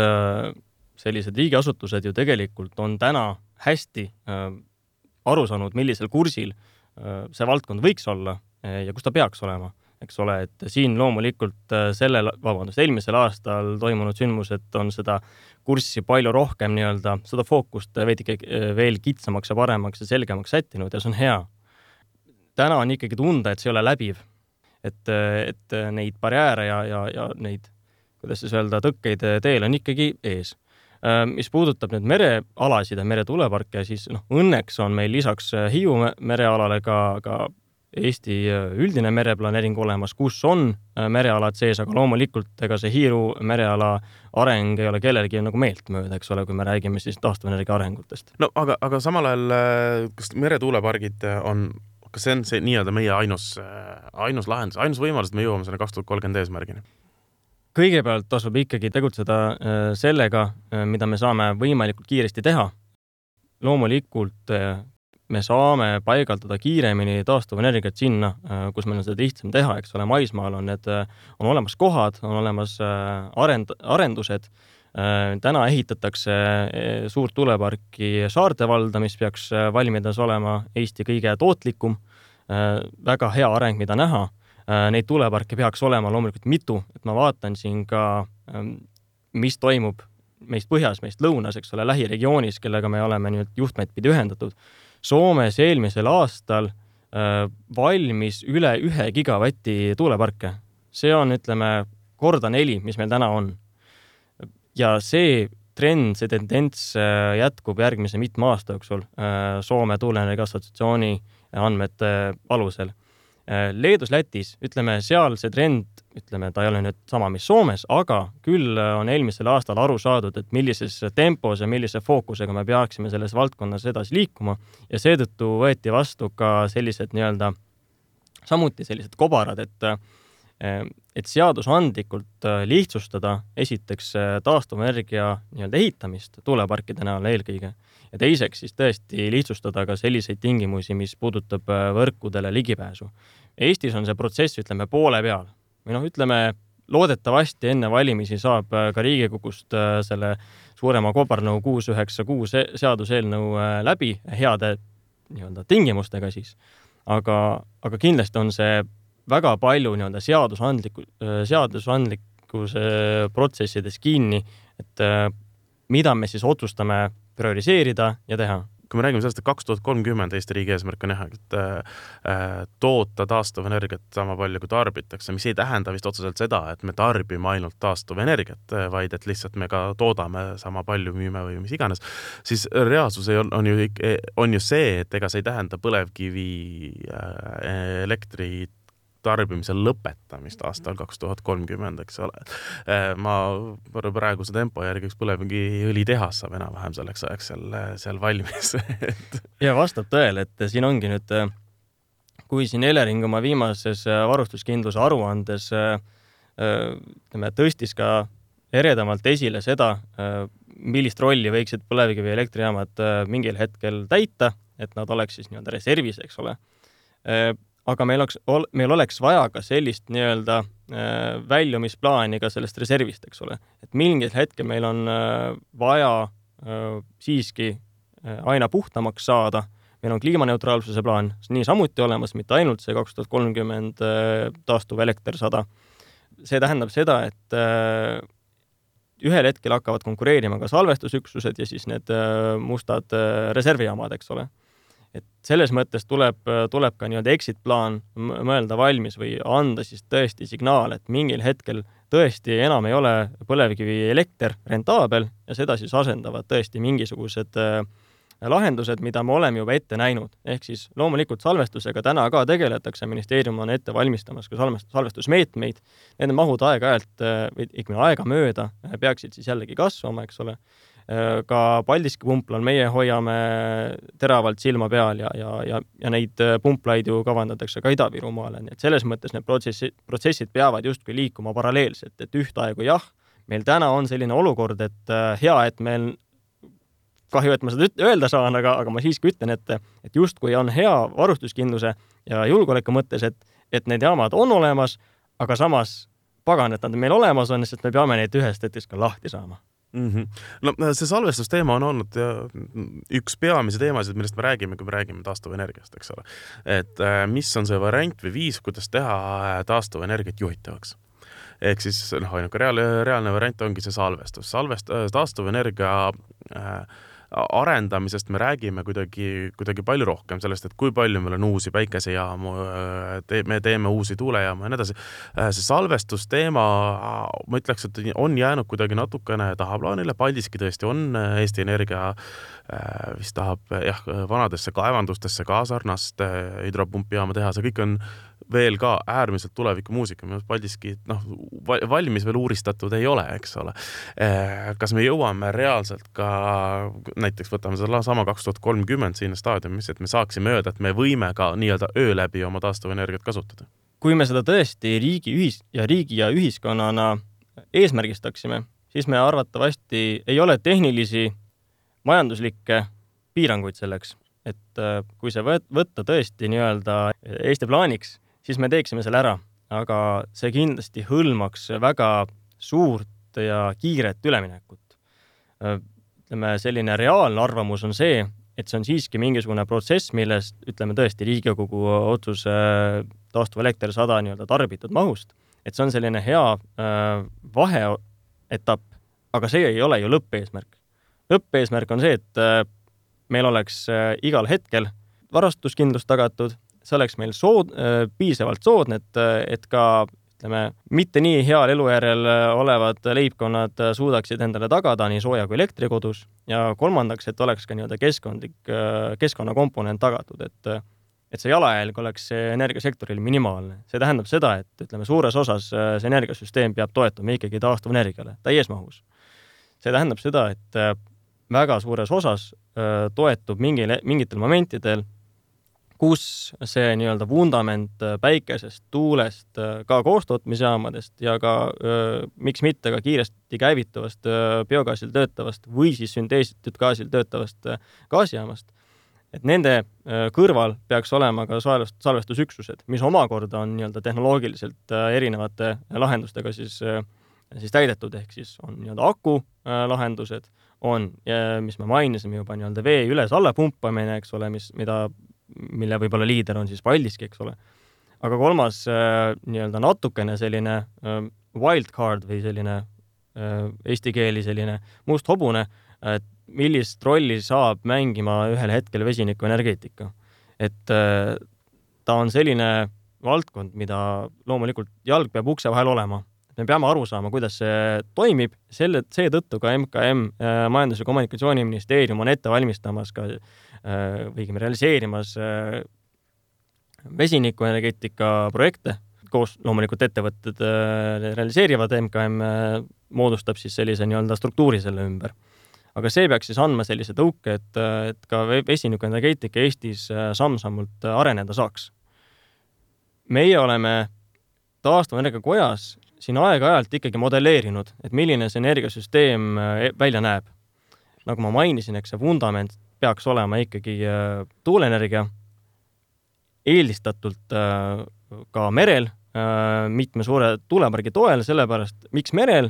sellised riigiasutused ju tegelikult on täna hästi aru saanud, millisel kursil see valdkond võiks olla ja kus ta peaks olema. Eks ole, et siin loomulikult sellel, vabandust, eelmisel aastal toimunud sündmused on seda kurssi palju rohkem nii-öelda, seda fookust veidike veel kitsamaks ja paremaks ja selgemaks sättinud ja see on hea. Täna on ikkagi tunda, et see ei ole läbiv, et, et neid barjääre ja, ja, ja neid, kuidas siis öelda, tõkkeid teel on ikkagi ees. Mis puudutab nüüd merealasid ja meretuuleparke, siis noh, õnneks on meil lisaks Hiiu merealale ka, ka Eesti üldine mereplaneering olemas, kus on merealad sees, aga loomulikult ega see Hiiu mereala areng ei ole kellelegi nagu meelt mööda, eks ole, kui me räägime siis taastuvenergia arengutest. No aga, aga samal ajal, kas meretuulepargid on kas see on see nii-öelda meie ainus, ainus lahendus, ainus võimalus, et me jõuame selle kaks tuhat kolmkümmend eesmärgini? Kõigepealt tasub ikkagi tegutseda sellega, mida me saame võimalikult kiiresti teha. Loomulikult me saame paigaldada kiiremini taastuvenergiat sinna, kus meil on seda lihtsam teha, eks ole, maismaal on need, on olemas kohad, on olemas arend, arendused. Täna ehitatakse suurt tuuleparki Saarte valda, mis peaks valmidas olema Eesti kõige tootlikum, väga hea areng, mida näha. Neid tuuleparke peaks olema loomulikult mitu, et ma vaatan siin ka, mis toimub meist põhjas, meist lõunas, eks ole, lähiregioonis, kellega me oleme nüüd juhtmeid pidi ühendatud. Soomes eelmisel aastal valmis üle ühe gigavatti tuuleparke. See on, ütleme, korda neli, mis meil täna on. Ja see trend, see tendents jätkub järgmise mitme aasta jooksul Soome tuuleenergia assotsiatsiooni andmete alusel. Leedus, Lätis, ütleme, seal see trend, ütleme, ta ei ole nüüd sama, mis Soomes, aga küll on eelmisel aastal aru saadud, et millises tempos ja millise fookusega me peaksime selles valdkonnas edasi liikuma ja seetõttu võeti vastu ka sellised nii-öelda, samuti sellised kobarad, et et seadusandlikult lihtsustada esiteks taastuvenergia nii-öelda ehitamist tuuleparkide näol eelkõige ja teiseks siis tõesti lihtsustada ka selliseid tingimusi, mis puudutab võrkudele ligipääsu. Eestis on see protsess, ütleme, poole peal. Või noh, ütleme, loodetavasti enne valimisi saab ka Riigikogust selle suurema kobarnõu kuus üheksa kuus seaduseelnõu läbi heade nii-öelda tingimustega siis. Aga, aga kindlasti on see väga palju nii-öelda seadusandliku, seadusandlikkuse protsessides kinni, et mida me siis otsustame prioriseerida ja teha. Kui me räägime sellest, et kaks tuhat kolmkümmend Eesti riigi eesmärk on jah, et äh, toota taastuvenergiat sama palju kui tarbitakse, mis ei tähenda vist otseselt seda, et me tarbime ainult taastuvenergiat, vaid et lihtsalt me ka toodame sama palju, müüme või mis iganes, siis reaalsus on, on, ju, on ju see, et ega see ei tähenda põlevkivi äh, elektrit tarbimise lõpetamist aastal kaks tuhat kolmkümmend, eks ole. Ma praeguse tempo järgi üks põlevkiviõli tehas saab enam-vähem selleks ajaks seal, seal valmis. Ja vastab tõele, et siin ongi nüüd, kui siin Elering oma viimases varustuskindluse aruandes ütleme, tõstis ka eredamalt esile seda, millist rolli võiksid põlevkivi elektrijaamad mingil hetkel täita, et nad oleks siis nii-öelda reservis, eks ole. Aga meil oleks, meil oleks vaja ka sellist nii-öelda väljumisplaani ka sellest reservist, eks ole. Et mingil hetkel meil on vaja siiski aina puhtamaks saada. Meil on kliimaneutraalsuse plaan nii samuti olemas, mitte ainult see kaks tuhat kolmkümmend taastuv elekter sada. See tähendab seda, et ühel hetkel hakkavad konkureerima ka salvestusüksused ja siis need mustad reservijaamad, eks ole. Et selles mõttes tuleb, tuleb ka nii-öelda exit-plaan mõelda valmis või anda siis tõesti signaal, et mingil hetkel tõesti enam ei ole põlevkivi elekter rentaabel ja seda siis asendavad tõesti mingisugused lahendused, mida me oleme juba ette näinud. Ehk siis loomulikult salvestusega täna ka tegeletakse, ministeerium on ette valmistamas ka salvestusmeetmeid. Need mahud aega-ajalt, või ikka aega mööda, peaksid siis jällegi kasvama, eks ole. Ka Paldiski pumplal meie hoiame teravalt silma peal ja, ja, ja, ja neid pumplaid ju kavandatakse ka Ida-Virumaale. Nii et selles mõttes need protsessid, protsessid peavad justkui liikuma paralleelselt, et ühtaegu jah, meil täna on selline olukord, et hea, et meil kahju, et ma seda öelda saan, aga, aga ma siiski ütlen, et, et justkui on hea varustuskindluse ja julgeoleku mõttes, et, et need jaamad on olemas, aga samas pagan, et nad meil olemas on, sest me peame neid ühest hetkest ka lahti saama. Mm-hmm. No see salvestusteema on olnud üks peamise teemasid, millest me räägime, kui me räägime taastuvenergiast, eks ole. Et mis on see variant või viis, kuidas teha taastuvenergiat juhitavaks? Ehk siis noh, ainuke reaalne, reaalne variant ongi see salvestus. Salvest, taastuvenergia äh, arendamisest me räägime kuidagi, kuidagi palju rohkem sellest, et kui palju meil on uusi päikesejaamu, te, me teeme uusi tuulejaamu ja nii edasi. See salvestusteema, ma ütleks, et on jäänud kuidagi natukene tahaplaanile. Paldiski tõesti on Eesti Energia, vist tahab jah, vanadesse kaevandustesse ka sarnast hüdropumpijaama teha. See kõik on veel ka äärmiselt tuleviku muusika. Paldiski noh, valmis veel uuristatud ei ole, eks ole. Kas me jõuame reaalselt ka, näiteks võtame seda sama kaks tuhat kolmkümmend siin staadiumis, et me saaksime öelda, et me võime ka nii-öelda öö läbi oma taastuvenergiat kasutada? Kui me seda tõesti riigi, ühis, ja riigi ja ühiskonnana eesmärgistaksime, siis me arvatavasti ei ole tehnilisi majanduslikke piiranguid selleks. Et kui see võtta tõesti nii-öelda Eesti plaaniks, siis me teeksime selle ära, aga see kindlasti hõlmaks väga suurt ja kiiret üleminekut. Ütleme, selline reaalne arvamus on see, et see on siiski mingisugune protsess, millest, ütleme tõesti, Riigikogu otsus taastuv elekter sada nii-öelda tarbitud mahust, et see on selline hea vaheetapp, aga see ei ole ju lõppeesmärk. Lõppeesmärk on see, et meil oleks igal hetkel varastuskindlus tagatud, see oleks meil sood, piisavalt soodne, et, et ka ütleme, mitte nii heal elujärjel olevad leibkonnad suudaksid endale tagada nii sooja kui elektrikodus ja kolmandaks, et oleks ka nii-öelda keskkondlik, keskkonnakomponent tagatud, et, et see jalajälg oleks energiasektoril minimaalne. See tähendab seda, et ütleme, suures osas see energiasüsteem peab toetuma ikkagi taastuvenergiale täies mahus. See tähendab seda, et väga suures osas toetub mingil, mingitel momentidel, kus see nii-öelda vundament päikesest, tuulest, ka koostootmisjaamadest ja ka miks mitte ka kiiresti käivituvast biogaasil töötavast või siis synteesitud gaasil töötavast gaasijaamast, et nende kõrval peaks olema ka salvestusüksused, mis omakorda on nii-öelda tehnoloogiliselt erinevate lahendustega siis, siis täidetud, ehk siis on nii-öelda aku lahendused, on, mis me mainisime juba, nii-öelda vee üles-alla pumpamine, eks ole, mis, mida, mille võib-olla liider on siis Paldiski, eks ole. Aga kolmas nii-öelda natukene selline wildcard või selline eesti keeli selline must hobune, et millist rolli saab mängima ühel hetkel vesinikuenergeetika. Et ta on selline valdkond, mida loomulikult jalg peab ukse vahel olema. Me peame aru saama, kuidas see toimib. Selle, seetõttu ka M K M, Majandus- ja Kommunikatsiooniministeerium on ette valmistamas ka või realiseerimas vesinikuenergeetika projekte. Koos loomulikult ettevõtted realiseerivad, M K M moodustab siis sellise nii-öelda struktuuri selle ümber. Aga see peaks siis andma sellise tõuke, et, et ka vesinikuenergeetika Eestis samm-sammult areneda saaks. Meie oleme taastuvenergia kojas siin aeg-ajalt ikkagi modelleerinud, et milline see energiasüsteem välja näeb. Nagu ma mainisin, eks see vundament peaks olema ikkagi tuuleenergia, eelistatult ka merel, mitme suure tuulepargi toel, sellepärast miks merel?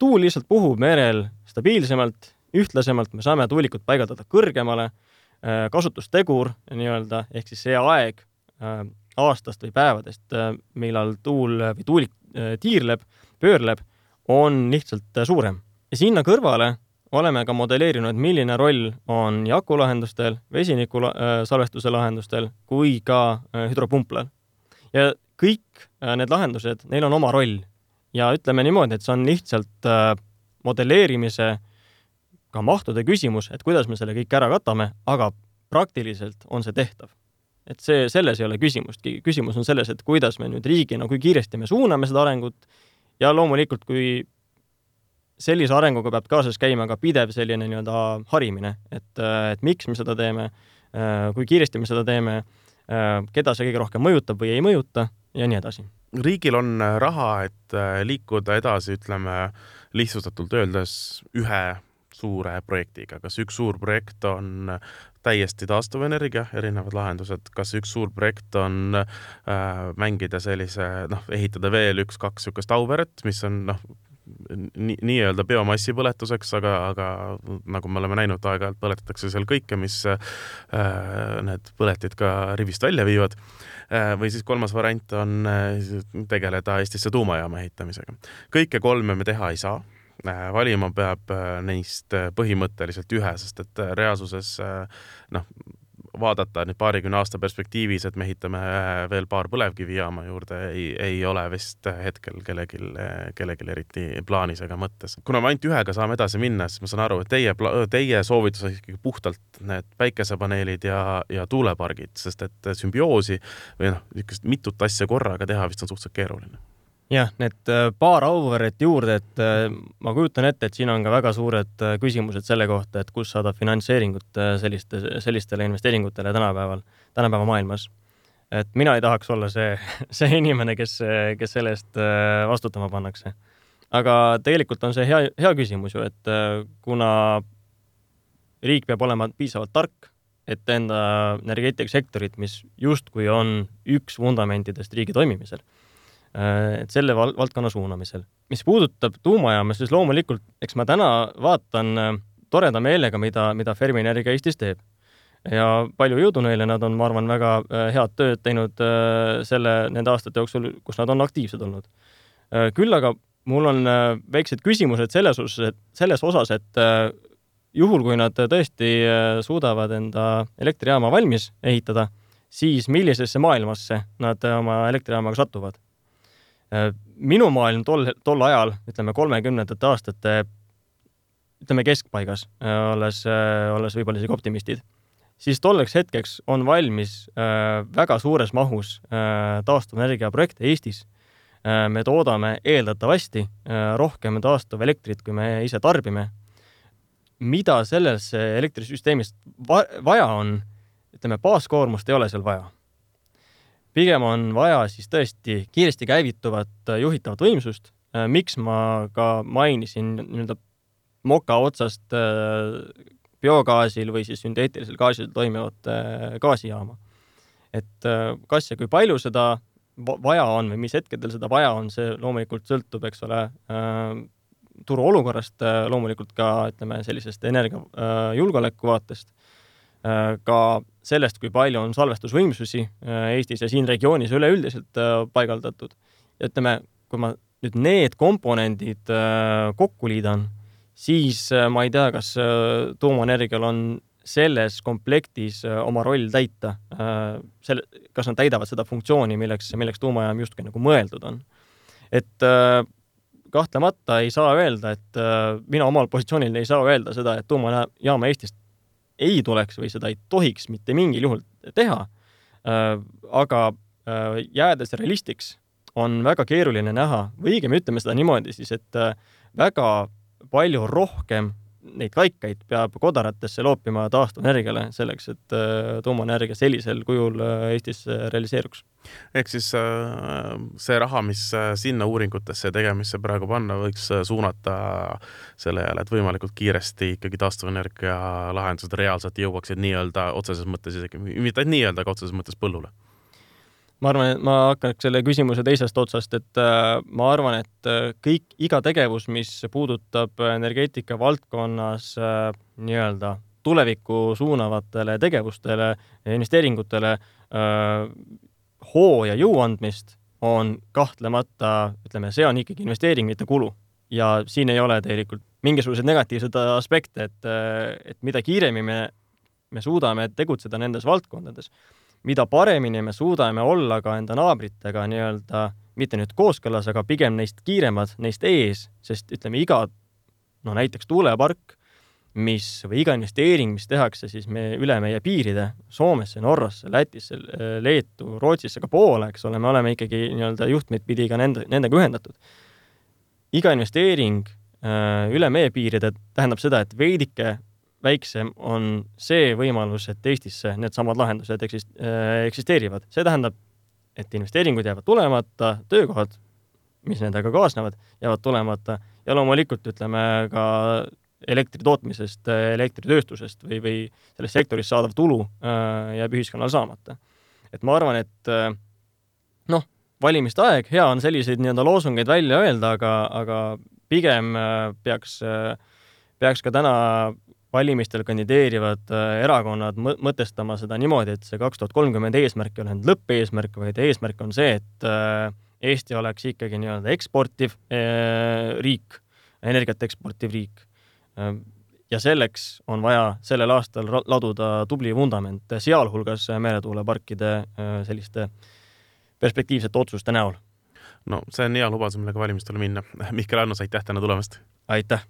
Tuul lihtsalt puhub merel stabiilsemalt, ühtlasemalt, me saame tuulikut paigaldada kõrgemale, kasutustegur nii-öelda, ehk siis see aeg aastast või päevadest, millal tuul või tuulik tiirleb, pöörleb, on lihtsalt suurem. Ja sinna kõrvale oleme ka modelleerinud, milline roll on nii akulahendustel, vesiniku salvestuse lahendustel kui ka hüdropumplal. Ja kõik need lahendused, neil on oma roll. Ja ütleme niimoodi, et see on lihtsalt modelleerimise ka mahtude küsimus, et kuidas me selle kõik ära katame, aga praktiliselt on see tehtav. Et see, selles ei ole küsimust. Küsimus on selles, et kuidas me nüüd riigina, kui kiiresti me suuname seda arengut ja loomulikult, kui sellise arenguga peab kaasas käima ka pidev selline nii-öelda harimine, et, et miks me seda teeme, kui kiiresti me seda teeme, keda see kõige rohkem mõjutab või ei mõjuta ja nii edasi. Riigil on raha, et liikuda edasi, ütleme, lihtsustatult öeldes ühe suure projektiga. Kas üks suur projekt on täiesti taastuvenergia, erinevad lahendused, kas üks suur projekt on äh, mängida sellise, noh, ehitada veel üks, kaks sükast Auveret, mis on, noh, nii, nii-öelda biomassi põletuseks, aga, aga nagu me oleme näinud, aeg-ajalt põletatakse seal kõike, mis äh, need põletid ka rivist välja viivad. Äh, või siis kolmas variant on äh, tegeleda Eestisse tuumajaama ehitamisega. Kõike kolme me teha ei saa. Valima peab neist põhimõtteliselt ühe, sest et reaalsuses noh, vaadata nüüd paarikümne aasta perspektiivis, et me ehitame veel paar põlevkivijaama juurde, ei, ei ole vist hetkel kellegil, kellegil eriti plaanis ega mõttes. Kuna me ainult ühega saame edasi minna, siis ma saan aru, et teie, teie soovitus on ikkagi puhtalt need päikesepaneelid ja, ja tuulepargid, sest et sümbioosi või noh, mitut asja korraga teha vist on suhteliselt keeruline. Jah, need paar Auveret juurde, et ma kujutan ette, et siin on ka väga suured küsimused selle kohta, et kus saada finantseeringut selliste, sellistele investeeringutele tänapäeval, tänapäeva maailmas. Et mina ei tahaks olla see, see inimene, kes, kes selle eest vastutama pannakse. Aga tegelikult on see hea, hea küsimus ju, et kuna riik peab olema piisavalt tark, et enda energeetikasektorit, mis justkui on üks fundamentidest riigi toimimisel, et selle val- valdkonna suunamisel. Mis puudutab tuumajaama, siis loomulikult, eks ma täna vaatan toreda meelega, mida, mida Fermi Energia Eestis teeb. Ja palju jõudu neile, nad on, ma arvan, väga head tööd teinud selle, nende aastate jooksul, kus nad on aktiivsed olnud. Küll aga mul on väiksed küsimused selles osas, et, selles osas, et juhul, kui nad tõesti suudavad enda elektrijaama valmis ehitada, siis millisesse maailmasse nad oma elektrijaamaga satuvad. Minu maailm tol, tol ajal, ütleme kolmekümnendate aastate, ütleme keskpaigas, olles, olles võib-olla isegi optimistid, siis tolleks hetkeks on valmis väga suures mahus taastuvenergia projekte Eestis. Me toodame eeldatavasti rohkem taastuv elektrit, kui me ise tarbime. Mida selles elektrisüsteemist vaja on, ütleme, baaskoormust ei ole seal vaja. Pigem on vaja siis tõesti kiiresti käivituvat juhitavat võimsust. Miks ma ka mainisin nii-öelda moka otsast biogaasil või siis sünteetilisel gaasil toimivat gaasijaama. Et kas ja kui palju seda vaja on või mis hetkedel seda vaja on, see loomulikult sõltub, eks ole, turu olukorrast, loomulikult ka, ütleme, sellisest energiajulgeoleku vaatest, ka sellest, kui palju on salvestusvõimsusi Eestis ja siin regioonis üleüldiselt paigaldatud. Ja ütleme, kui ma nüüd need komponendid kokku liidan, siis ma ei tea, kas tuumaenergial on selles komplektis oma roll täita. Selle, kas nad täidavad seda funktsiooni, milleks, milleks tuumajaam justkui nagu mõeldud on. Et kahtlemata ei saa öelda, et mina omal positsioonil ei saa öelda seda, et tuumajaama Eestist ei tuleks või seda ei tohiks mitte mingil juhul teha. Aga jäädes realistiks on väga keeruline näha, või õigem ütleme seda niimoodi siis, et väga palju rohkem neid kaikaid peab kodaratesse loopima taastuvenergiale selleks, et tuumaenergia sellisel kujul Eestis realiseeruks. Ehk siis see raha, mis sinna uuringutesse tegemisse praegu panna, võiks suunata selle jälle, et võimalikult kiiresti ikkagi taastuvenergia lahendused reaalselt jõuaksid nii-öelda otseses mõttes, isegi mitte nii-öelda, aga otseses mõttes põllule. Ma arvan, et ma hakkaks selle küsimuse teisest otsast, et ma arvan, et kõik, iga tegevus, mis puudutab energeetika valdkonnas nii-öelda tulevikku suunavatele tegevustele, investeeringutele, hoo ja jõu andmist, on kahtlemata, ütleme, see on ikkagi investeering, mitte kulu. Ja siin ei ole tegelikult mingisugused negatiivsed aspekte, et, et mida kiiremini me, me suudame tegutseda nendes valdkondades, mida paremini me suudame olla ka enda naabritega nii-öelda, mitte nüüd kooskõlas, aga pigem neist kiiremad, neist ees, sest ütleme iga, no näiteks tuulepark, mis, või iga investeering, mis tehakse siis me üle meie piiride, Soomesse, Norrasse, Lätisse, Leetu, Rootsisse, ka Poola, eks ole, me oleme ikkagi nii-öelda juhtmeid pidi ka nende, nendega ühendatud. Iga investeering üle meie piiride tähendab seda, et veidike väiksem on see võimalus, et Eestisse need samad lahendused eksisteerivad. See tähendab, et investeeringud jäävad tulemata, töökohad, mis nendega kaasnevad, jäävad tulemata ja loomulikult ütleme ka elektri tootmisest, elektritööstusest või, või selles sektoris saadav tulu jääb ühiskonnal saamata. Et ma arvan, et noh, valimiste aeg, hea on selliseid nii-öelda loosungeid välja öelda, aga, aga pigem peaks, peaks ka täna valimistel kandideerivad erakonnad mõtestama seda niimoodi, et see kaks tuhat kolmkümmend eesmärk ei ole ainult lõppeesmärk, vaid eesmärk on see, et Eesti oleks ikkagi nii-öelda eksportiv riik, energiat eksportiv riik. Ja selleks on vaja sellel aastal laduda tubli vundament, sealhulgas meretuuleparkide selliste perspektiivsete otsuste näol. No see on hea lubadus, millega valimistele minna. Mihkel Annus, aitäh täna tulemast! Aitäh!